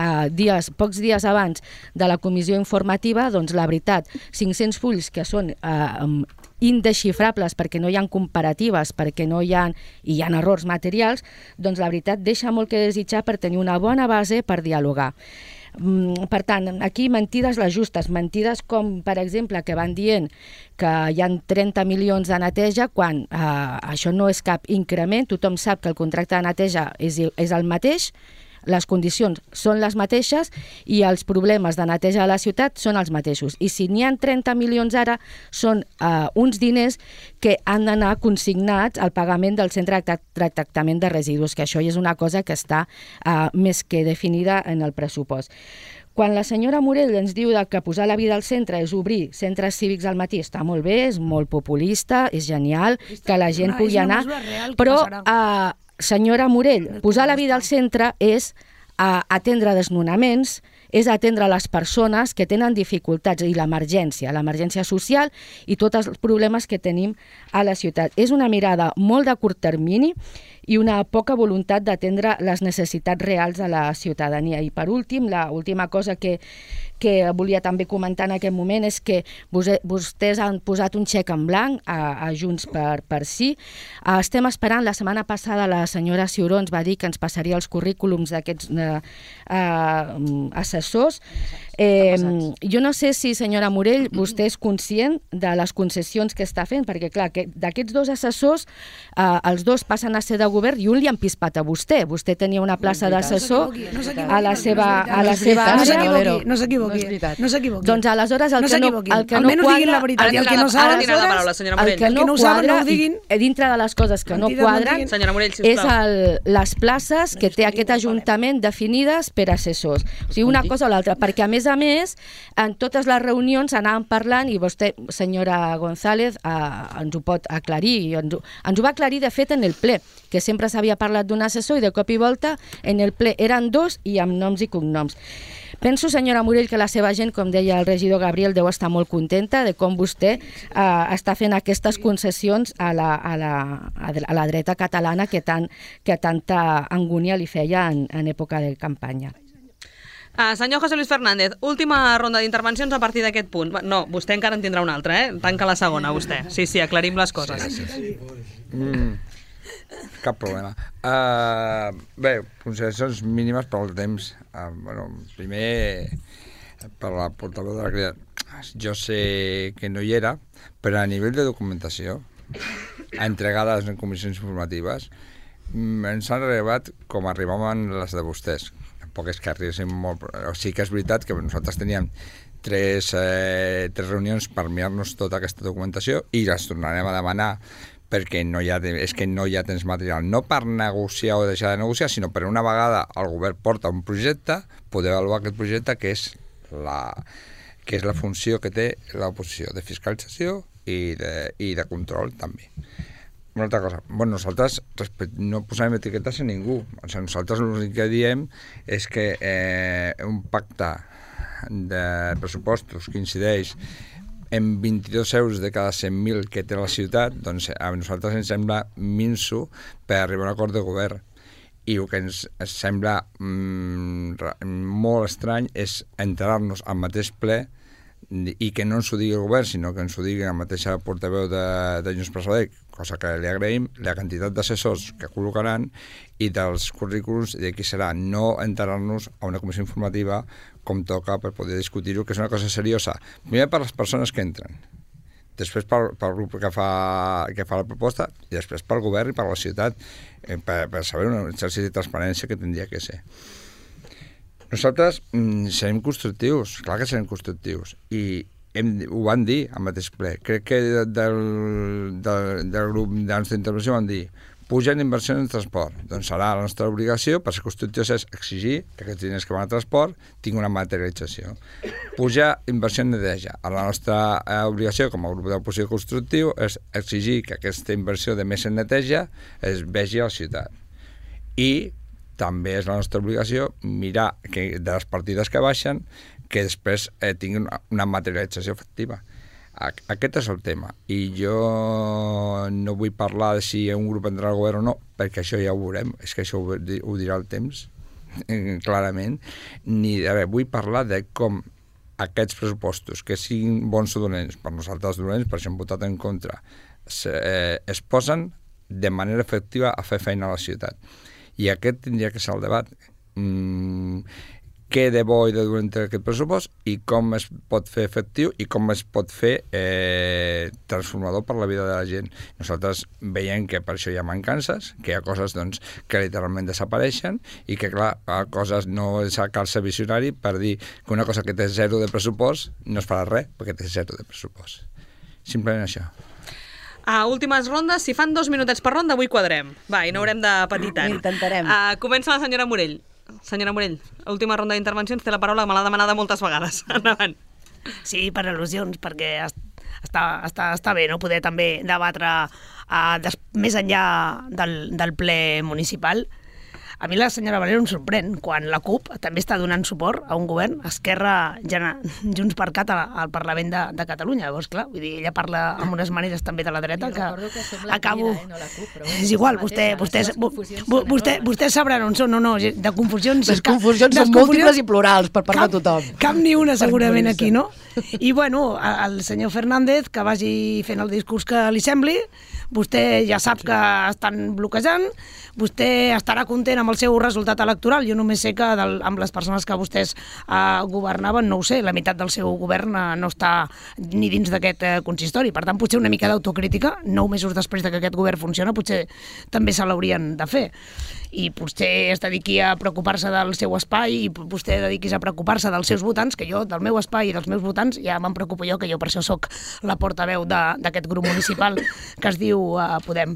pocs dies abans de la comissió informativa, doncs la veritat, 500 fulls que són indesxifrables perquè no hi ha comparatives, perquè no hi ha errors materials, doncs la veritat deixa molt que desitjar per tenir una bona base per dialogar. Per tant, aquí mentides les justes, mentides com, per exemple, que van dient que hi ha 30 milions de neteja quan això no és cap increment, tothom sap que el contracte de neteja és el mateix, les condicions són les mateixes i els problemes de neteja de la ciutat són els mateixos. I si n'hi ha 30 milions ara, són uns diners que han d'anar consignats al pagament del centre de tractament de residus, que això és una cosa que està més que definida en el pressupost. Quan la senyora Morell ens diu que posar la vida al centre és obrir centres cívics al matí, està molt bé, és molt populista, és genial, que la gent pugui anar, però senyora Morell, posar la vida al centre és atendre desnonaments, és atendre les persones que tenen dificultats i l'emergència social i tots els problemes que tenim a la ciutat. És una mirada molt de curt termini i una poca voluntat d'atendre les necessitats reals de la ciutadania. I per últim, l'última cosa que volia també comentar en aquest moment és que vostès han posat un xec en blanc a Junts per Sí. Estem esperant, la setmana passada la senyora Ciuró ens va dir que ens passaria els currículums d'aquests assessors. Jo no sé si, senyora Morell, vostè és conscient de les concessions que està fent, perquè clar, d'aquests 2 assessors, els 2 passen a ser de govern i un li han pispat a vostè. Vostè tenia una plaça d'assessor a la seva àrea. No s'equivoqui. No s'equivoqui. Doncs aleshores el que no quadra... Almenys diguin la veritat. I el que no saben, la paraula, senyora Morell. El que no quadra, dintre de les coses que no quadren, és les places que té aquest Ajuntament definides per assessors. O sigui, una cosa o l'altra, perquè a més, en totes les reunions anàvem parlant, i vostè, senyora González, ens ho pot aclarir, ens ho va aclarir de fet en el ple, que sempre s'havia parlat d'un assessor i de cop i volta en el ple eren dos i amb noms i cognoms. Penso, senyora Morell, que la seva gent, com deia el regidor Gabriel, deu estar molt contenta de com vostè està fent aquestes concessions a la dreta catalana que tanta angúnia li feia en època de campanya. Senyor José Luis Fernández, última ronda d'intervencions a partir d'aquest punt. No, vostè encara en tindrà una altra, Tanca la segona, vostè. Sí, aclarim les coses. Sí. Cap problema. Bé, consideracions mínimes pel temps. Primer, per la portaveu de la Crida. Jo sé que no hi era, però a nivell de documentació, entregades en comissions informatives, ens han arribat com arribaven les de vostès. Tampoc és que arribessin molt... Sí que és veritat que nosaltres teníem tres reunions per mirar-nos tota aquesta documentació i les tornarem a demanar perquè no hi ha temps material, no per negociar o deixar de negociar, sinó per una vegada el govern porta un projecte, poder avaluar aquest projecte que és la funció que té l'oposició, de fiscalització i de control també. Una altra cosa, nosaltres no posem etiquetes a ningú, nosaltres l'únic que diem és que un pacte de pressupostos que incideix en 22 euros de cada 100.000 que té la ciutat, doncs a nosaltres ens sembla minso per arribar a un acord de govern. I el que ens sembla molt estrany és enterar-nos al mateix ple i que no ens ho digui el govern, sinó que ens ho digui la mateixa portaveu de Junts per Sabadell, cosa que li agraïm, la quantitat d'assessors que col·locaran i dels currículums de qui serà, no enterar-nos a una comissió informativa com toca per poder discutir-ho, que és una cosa seriosa. Primer per les persones que entren, després pel grup que fa la proposta i després pel govern i per la ciutat, per saber un exercici de transparència que tindria que ser. Nosaltres serem constructius, clar que serem constructius, i ho van dir al mateix ple. Crec que del grup de la nostra intervenció van dir pugen inversions en transport. Doncs serà la nostra obligació, per ser constructius, és exigir que aquests diners que van a transport tinguin una materialització. Puja inversió en neteja. La nostra obligació com a grup d'oposició constructiu és exigir que aquesta inversió de més en neteja es vegi a la ciutat. I també és la nostra obligació mirar que de les partides que baixen que després tinguin una materialització efectiva. Aquest és el tema. I jo no vull parlar de si un grup entrarà al govern o no, perquè això ja ho veurem. És que això ho dirà el temps, clarament. Vull parlar de com aquests pressupostos, que siguin bons o dolents, per nosaltres dolents, per això hem votat en contra, es posen de manera efectiva a fer feina a la ciutat. I aquest tindria que ser el debat. Què de bo i de dolent té aquest pressupost i com es pot fer efectiu i com es pot fer transformador per la vida de la gent. Nosaltres veiem que per això hi ha mancances, que hi ha coses que literalment desapareixen i que, clar, coses no cal ser visionari per dir que una cosa que té zero de pressupost no es farà res perquè té zero de pressupost. Simplement això. A últimes rondes, si fan 2 minutets per ronda, avui quadrem. Va, i no haurem de patir tant. Intentarem. Comença la senyora Morell. Senyora Morell, última ronda d'intervencions, té la paraula, me l'ha demanada moltes vegades. Endavant. Sí, per al·lusions, perquè està bé no poder també debatre més enllà del ple municipal. A mi la senyora Valero em sorprèn quan la CUP també està donant suport a un govern, Esquerra, Junts per Cat al Parlament de Catalunya. Llavors, clar, vull dir, ella parla amb unes maneres també de la dreta que acabo... No la CUP, però és igual, vostès sabran on són o no, de confusions... Les confusions són múltiples i plurals per part de tothom. Cap ni una segurament aquí, no? I bueno, el senyor Fernández, que vagi fent el discurs que li sembli, vostè ja sap que estan bloquejant, vostè estarà content amb el seu resultat electoral. Jo només sé que amb les persones que vostès governaven, no ho sé, la meitat del seu govern no està ni dins d'aquest consistori. Per tant, potser una mica d'autocrítica, 9 mesos després que aquest govern funciona, potser també se l'haurien de fer. I potser es dediqui a preocupar-se del seu espai i vostè dediquis a preocupar-se dels seus votants, que jo, del meu espai i dels meus votants, ja me'n preocupo jo, que jo per això sóc la portaveu d'aquest grup municipal que es diu Podem.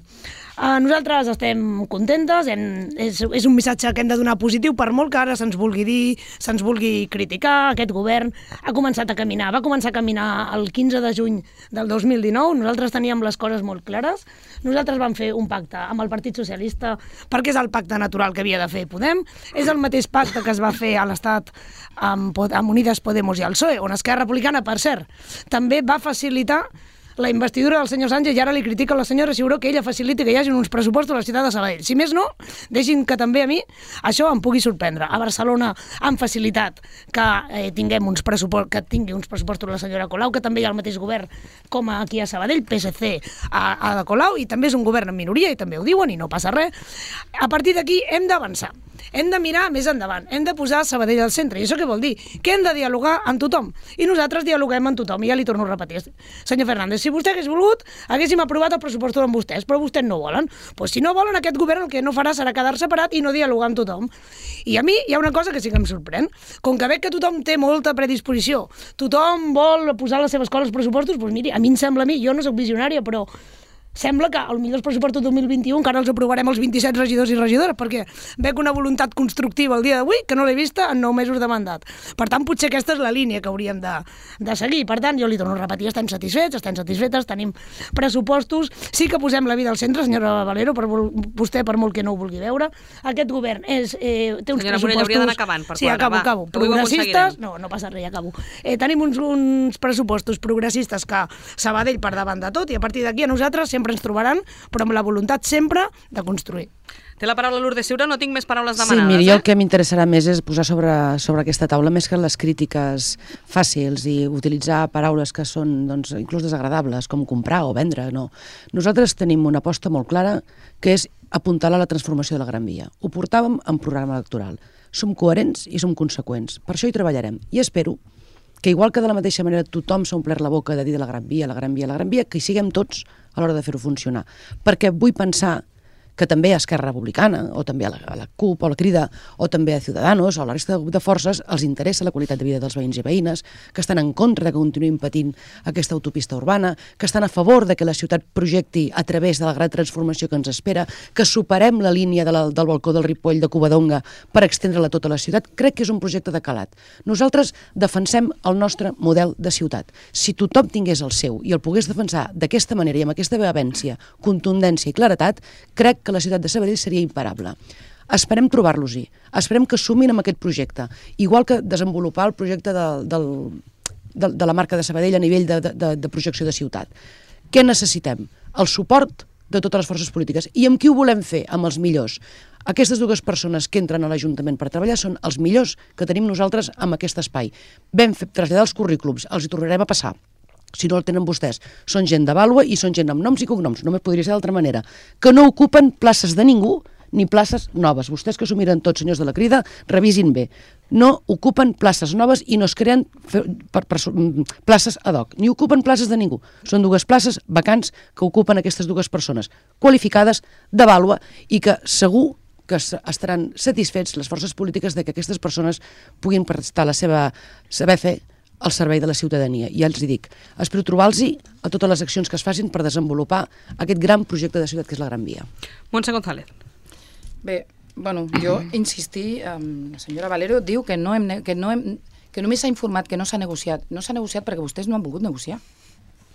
Nosaltres estem contentes, és un missatge que hem de donar positiu, per molt que ara se'ns vulgui dir, se'ns vulgui criticar. Aquest govern ha començat a caminar, va començar a caminar el 15 de juny del 2019, nosaltres teníem les coses molt clares, nosaltres vam fer un pacte amb el Partit Socialista, perquè és el pacte natural que havia de fer Podem, és el mateix pacte que es va fer a l'Estat amb Unides Podemos i el PSOE, on Esquerra Republicana, per cert, també va facilitar la investidura del senyor Sánchez, i ara li critica a la senyora Ciuró que ella faciliti que hi hagi uns pressupostos a la ciutat de Sabadell. Si més no, deixin que també a mi això em pugui sorprendre. A Barcelona han facilitat que tingui uns pressupostos la senyora Colau, que també hi ha el mateix govern com aquí a Sabadell, PSC a Colau, i també és un govern en minoria, i també ho diuen, i no passa res. A partir d'aquí hem d'avançar. Hem de mirar més endavant, hem de posar Sabadell al centre. I això què vol dir? Que hem de dialogar amb tothom. I nosaltres dialoguem amb tothom, i ja li torno a repetir. Senyor Fernández, si vostè hagués volgut, haguéssim aprovat el pressupost amb vostès, però vostès no volen. Doncs si no volen, aquest govern el que no farà serà quedar separat i no dialogar amb tothom. I a mi hi ha una cosa que sí que em sorprèn. Com que veig que tothom té molta predisposició, tothom vol posar les seves coses als pressupostos, doncs miri, a mi em sembla, jo no soc visionària, però sembla que potser els pressupostos 2021 encara els aprovarem els 27 regidors i regidores, perquè veig una voluntat constructiva el dia d'avui que no l'he vista en 9 mesos de mandat. Per tant, potser aquesta és la línia que hauríem de seguir. Per tant, jo li torno a repetir, estem satisfetes, tenim pressupostos, sí que posem la vida al centre, senyora Valero, vostè per molt que no ho vulgui veure. Aquest govern té uns senyora pressupostos... Morell, hauria d'anar acabant, per sí, acabo. Progressistes... No passa res, acabo. Tenim uns pressupostos progressistes que Sabadell per davant de tot, i a partir d'aquí a nosaltres sempre ens trobaran, però amb la voluntat sempre de construir. Té la paraula Lourdes Ciuró, no tinc més paraules Sí, demanades. miri, el que m'interessarà més és posar sobre aquesta taula, més que les crítiques fàcils i utilitzar paraules que són doncs, inclús desagradables, com comprar o vendre, no. Nosaltres tenim una aposta molt clara, que és apuntalar la transformació de la Gran Via. Ho portàvem en programa electoral. Som coherents i som conseqüents. Per això hi treballarem. I espero que igual que de la mateixa manera tothom s'ha omplert la boca de dir de la Gran Via, que hi siguem tots a l'hora de fer-ho funcionar. Perquè vull pensar que també a Esquerra Republicana, o també a la CUP, o a la Crida, o també a Ciudadanos, o a la resta de forces, els interessa la qualitat de vida dels veïns i veïnes, que estan en contra de que continuïn patint aquesta autopista urbana, que estan a favor de que la ciutat projecti a través de la gran transformació que ens espera, que superem la línia del balcó del Ripoll de Covadonga per extendre-la a tota la ciutat. Crec que és un projecte de calat. Nosaltres defensem el nostre model de ciutat. Si tothom tingués el seu i el pogués defensar d'aquesta manera i amb aquesta vehemència, contundència i claretat, crec que la ciutat de Sabadell seria imparable. Esperem trobar-los-hi, esperem que sumin amb aquest projecte, igual que desenvolupar el projecte de la marca de Sabadell a nivell de projecció de ciutat. Què necessitem? El suport de totes les forces polítiques. I amb qui ho volem fer? Amb els millors. Aquestes dues persones que entren a l'Ajuntament per treballar són els millors que tenim nosaltres en aquest espai. Vam traslladar els currículums, els hi tornarem a passar. Si no el tenen vostès, són gent de vàlua i són gent amb noms i cognoms, només podria ser d'altra manera, que no ocupen places de ningú ni places noves. Vostès que s'ho miren tots, senyors de la Crida, revisin bé. No ocupen places noves i no es creen places ad hoc, ni ocupen places de ningú. Són dues places vacants que ocupen aquestes dues persones, qualificades, de vàlua, i que segur que estaran satisfets les forces polítiques de que aquestes persones puguin prestar la seva saber fer al servei de la ciutadania. I ja els dic, espero trobar-los a totes les accions que es facin per desenvolupar aquest gran projecte de ciutat que és la Gran Via. Montse González. Bé, bueno, jo insistir, la senyora Valero diu que només s'ha informat, que no s'ha negociat. No s'ha negociat perquè vostès no han volgut negociar.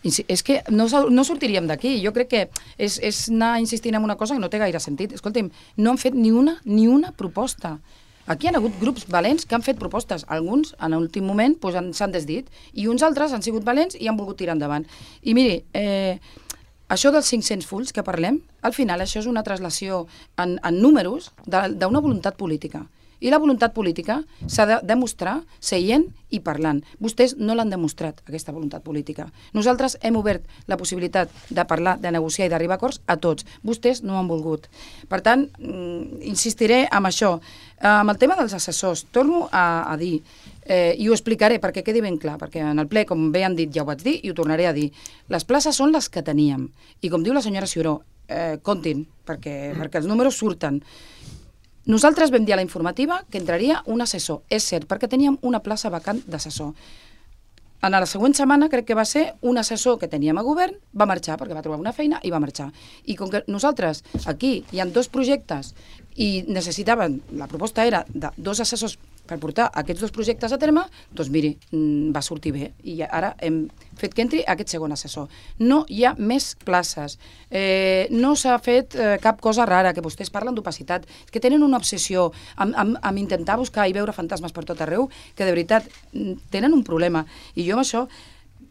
És que no sortiríem d'aquí. Jo crec que és anar insistint en una cosa que no té gaire sentit. Escolta'm, no han fet ni una proposta. Aquí hi ha hagut grups valents que han fet propostes. Alguns, en l'últim moment, s'han desdit, i uns altres han sigut valents i han volgut tirar endavant. I miri, això dels 500 fulls que parlem, al final això és una translació en números d'una voluntat política. I la voluntat política s'ha de demostrar seient i parlant. Vostès no l'han demostrat, aquesta voluntat política. Nosaltres hem obert la possibilitat de parlar, de negociar i d'arribar a acords a tots. Vostès no han volgut. Per tant, insistiré en això. Amb el tema dels assessors, torno a dir, i ho explicaré perquè quedi ben clar, perquè en el ple, com bé han dit, ja ho vaig dir i ho tornaré a dir. Les places són les que teníem. I com diu la senyora Ciuró, comptin, perquè els números surten. Nosaltres vam dir a la informativa que entraria un assessor. És cert, perquè teníem una plaça vacant d'assessor. En la següent setmana, crec que va ser, un assessor que teníem a govern va marxar, perquè va trobar una feina i va marxar. I com que nosaltres, aquí, hi ha 2 projectes i necessitaven, la proposta era de 2 assessors per portar aquests 2 projectes a terme, doncs miri, va sortir bé. I ara hem fet que entri aquest segon assessor. No hi ha més places. No s'ha fet cap cosa rara, que vostès parlen d'opacitat, que tenen una obsessió amb intentar buscar i veure fantasmes per tot arreu, que de veritat tenen un problema. I jo amb això...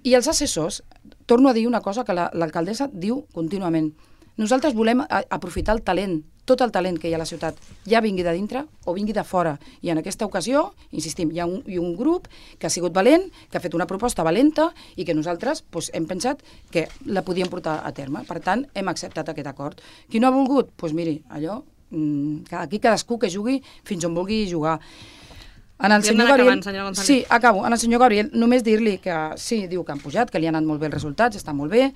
I els assessors, torno a dir una cosa que l'alcaldessa diu contínuament. Nosaltres volem aprofitar el talent, tot el talent que hi ha a la ciutat, ja vingui de dintre o vingui de fora. I en aquesta ocasió, insistim, hi ha un grup que ha sigut valent, que ha fet una proposta valenta i que nosaltres hem pensat que la podíem portar a terme. Per tant, hem acceptat aquest acord. Qui no ha volgut? Doncs miri, allò, aquí cadascú que jugui fins on vulgui jugar. En el senyor Gabriel, sí, acabo. En el senyor Gabriel, només dir-li que sí, diu que han pujat, que li han anat molt bé els resultats, està molt bé,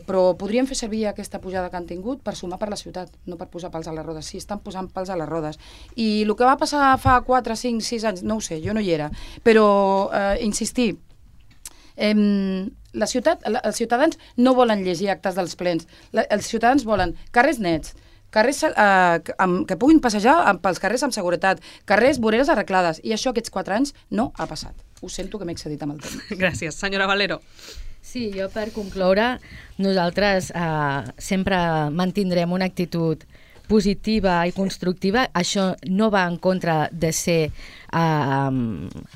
però podríem fer servir aquesta pujada que han tingut per sumar per la ciutat, no per posar pals a les rodes. Sí, estan posant pals a les rodes. I el que va passar fa 4, 5, 6 anys, no ho sé, jo no hi era, però insistir, els ciutadans no volen llegir actes dels plens, els ciutadans volen carrers nets, carrers que puguin passejar pels carrers amb seguretat, carrers, voreres arreglades, i això aquests 4 anys no ha passat. Ho sento que m'he excedit amb el temps. Gràcies. Senyora Valero. Sí, jo per concloure, nosaltres sempre mantindrem una actitud positiva i constructiva. Això no va en contra de ser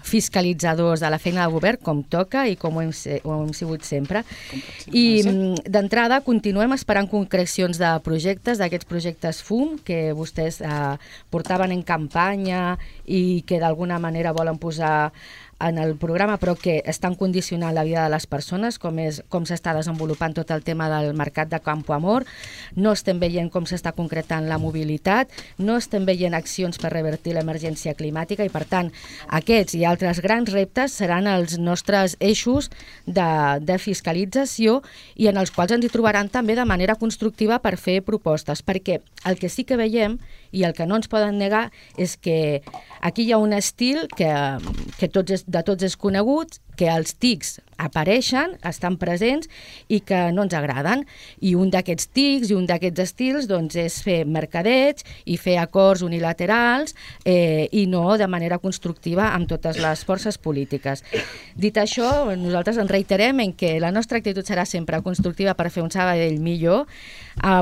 fiscalitzadors de la feina del govern, com toca i com ho hem sigut sempre. I d'entrada continuem esperant concrecions de projectes, d'aquests projectes FUM, que vostès portaven en campanya i que d'alguna manera volen posar en el programa, però que estan condicionant la vida de les persones, com s'està desenvolupant tot el tema del mercat de Campo Amor. No estem veient com s'està concretant la mobilitat, no estem veient accions per revertir l'emergència climàtica i, per tant, aquests i altres grans reptes seran els nostres eixos de fiscalització i en els quals ens hi trobaran també de manera constructiva per fer propostes, perquè el que sí que veiem i el que no ens poden negar és que aquí hi ha un estil que de tots és conegut, que els tics apareixen, estan presents i que no ens agraden. I un d'aquests tics i un d'aquests estils és fer mercadeig i fer acords unilaterals i no de manera constructiva amb totes les forces polítiques. Dit això, nosaltres ens reiterem en que la nostra actitud serà sempre constructiva per fer un Sabadell millor,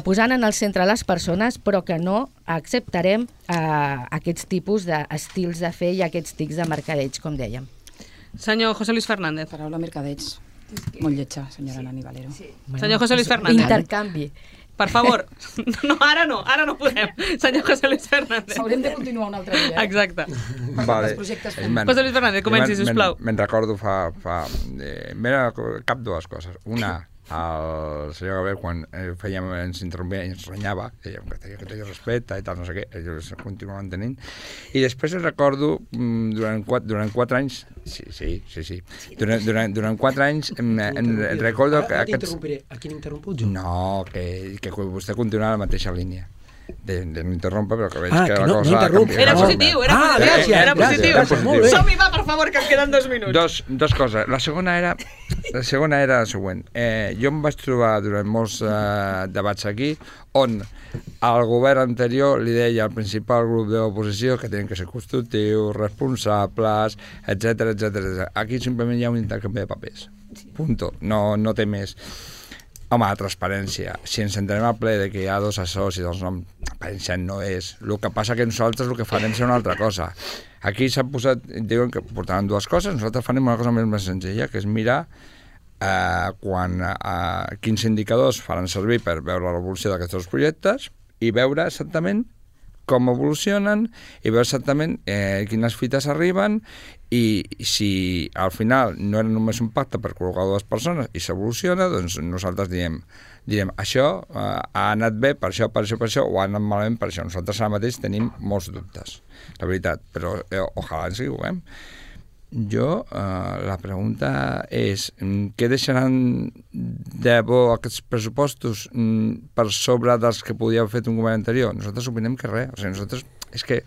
posant en el centre les persones, però que no acceptarem aquests tipus d'estils de fer i aquests tics de mercadeig, com dèiem. Senyor José Luis Fernández. Paraula mercadeig. Molt lletja, senyora Nani Valero. Senyor José Luis Fernández. Intercanvi. Per favor. No, ara no podem. Senyor José Luis Fernández. Haurem de continuar un altre dia. Exacte. Vale. José Luis Fernández, comenci, sisplau. Me'n recordo mira, cap 2 coses. Una, el senyor Gabriel, quan ens interrompia i ens renyava, dèiem que tenia respecte i tal, no sé què, ells continuaven tenint. I després recordo, durant 4 anys, sí, durant 4 anys, recordo que... Ara t'interrompiré. A qui n'interromput jo? No, que vostè continua la mateixa línia. De no interrompre, però que veig que la no, cosa... No interromp. Era positiu, era positiu. Som-hi, va, per favor, que em queden 2 minuts. Dos coses. La segona era la següent. Jo em vaig trobar durant molts debats aquí on el govern anterior li deia al principal grup de l'oposició que tenen que ser constructius, responsables, etc. Aquí simplement hi ha un intercanvi de papers. Punto. No té més. Home, la transparència. Si ens entenem al ple de que hi ha 2 assessors i doncs no, transparència no és. El que passa que nosaltres el que farem serà una altra cosa. Aquí s'ha posat, diuen que portaran 2 coses, nosaltres farem una cosa més senzilla, que és mirar quins indicadors faran servir per veure l'evolució d'aquests 2 projectes i veure exactament com evolucionen i veure exactament quines fites arriben i si al final no era només un pacte per col·locar dues persones i s'evoluciona, doncs nosaltres direm això ha anat bé per això, o ha anat malament per això. Nosaltres ara mateix tenim molts dubtes, la veritat, però ojalà ens equivoquem. Jo, la pregunta és què deixaran de bo aquests pressupostos per sobre dels que podia haver fet un govern anterior? Nosaltres opinem que res, o sigui, nosaltres és que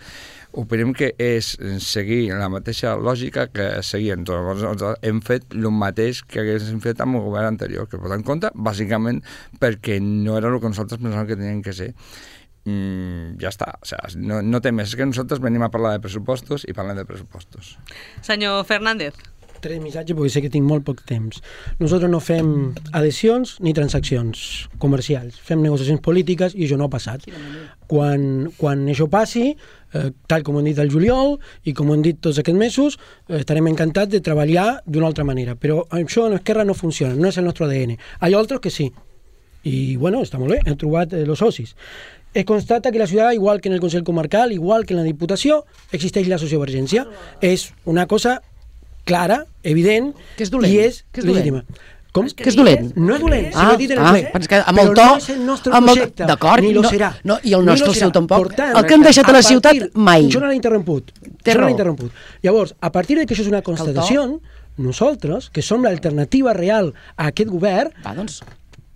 opinem que és seguir la mateixa lògica que seguien. Nosaltres hem fet el mateix que haguéssim fet amb el govern anterior, que votar en compte, bàsicament perquè no era el que nosaltres pensàvem que tenien que ser. Ja està, o sigui, no té més, és que nosaltres venim a parlar de pressupostos i parlem de pressupostos. Senyor Fernández. 3 missatges perquè sé que tinc molt poc temps. Nosaltres no fem adhesions ni transaccions comercials, fem negociacions polítiques i això no ha passat. Quan això passi, tal com hem dit el juliol i com hem dit tots aquests mesos, estarem encantats de treballar d'una altra manera, però això en Esquerra no funciona, no és el nostre ADN. Hi ha altres que sí, i bueno, està molt bé, hem trobat els socis. Es constata que la ciudad, igual que en el Consell Comarcal, igual que en la Diputació, existeix la sociovergència. És una cosa clara, evident, que és dolent. I és legítima. Com? Que és dolent. No és dolent, si ho he dit en el ple. Amb el to, però no és el nostre projecte, ni lo serà. I el nostre, el seu tampoc. Tant, el que hem deixat a la ciutat, mai. Això no l'ha interromput. Llavors, a partir de que això és una constatació, nosaltres, que som l'alternativa real a aquest govern,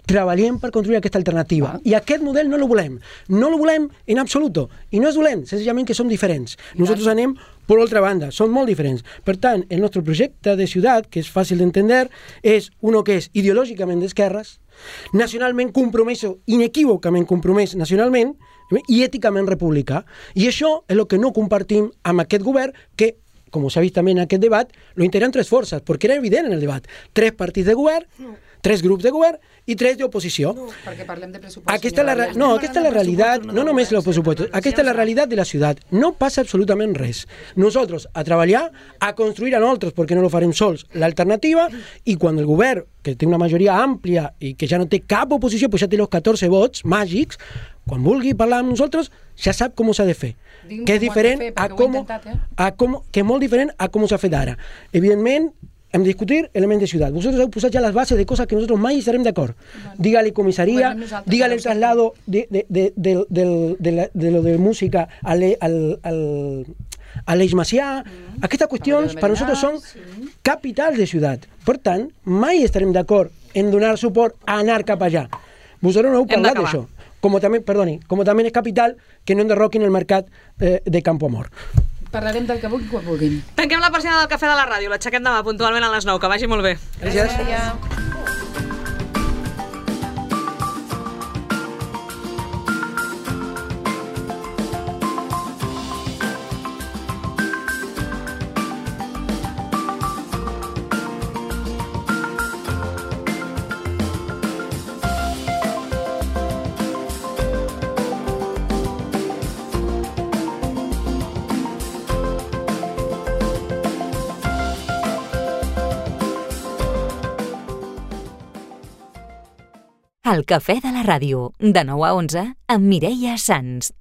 treballem per construir aquesta alternativa. I aquest model no el volem. No el volem en absoluto. I no és dolent, senzillament que som diferents. Nosaltres anem per altra banda, som molt diferents. Per tant, el nostre projecte de ciutat, que és fàcil d'entendre, és uno que és ideològicament d'esquerres, nacionalment compromès, inequívocament compromès nacionalment, i èticament republicà. I això és el que no compartim amb aquest govern que, com s'ha vist també en aquest debat, lo integren 3 forces, perquè era evident en el debat. 3 partits de govern, 3 grups de govern i 3 d'oposició. No, perquè parlem de pressupost. Aquesta és la realitat, no només els pressupostos, aquesta és la realitat de la ciutat. No passa absolutament res. Nosaltres a treballar, a construir a nosaltres, perquè no lo farem sols, l'alternativa, i quan el govern, que té una majoria àmplia i que ja no té cap oposició, pues ja té els 14 vots màgics, quan vulgui parlar amb nosaltres, ja sap com s'ha de fer. Que és diferent que és molt diferent a com s'ha fet ara. Evidentment, hem de discutir elements de ciutat. Vosaltres heu posat ja les bases de coses que nosaltres mai estarem d'acord. Digue-li comissaria, digue-li el traslado de lo de música a l'Eix Macià. Aquestes qüestions per nosaltres són capitals de ciutat. Per tant, mai estarem d'acord en donar suport a anar cap allà. Vosaltres no heu parlat d'això. Com també és capital que no enderroquin el mercat de Campo Amor. Parlarem del que vulguin quan vulguin. Tanquem la persiana del Cafè de la Ràdio. L'aixequem demà puntualment a les 9. Que vagi molt bé. Gràcies. El Cafè de la Ràdio, de 9 a 11, amb Mireia Sans.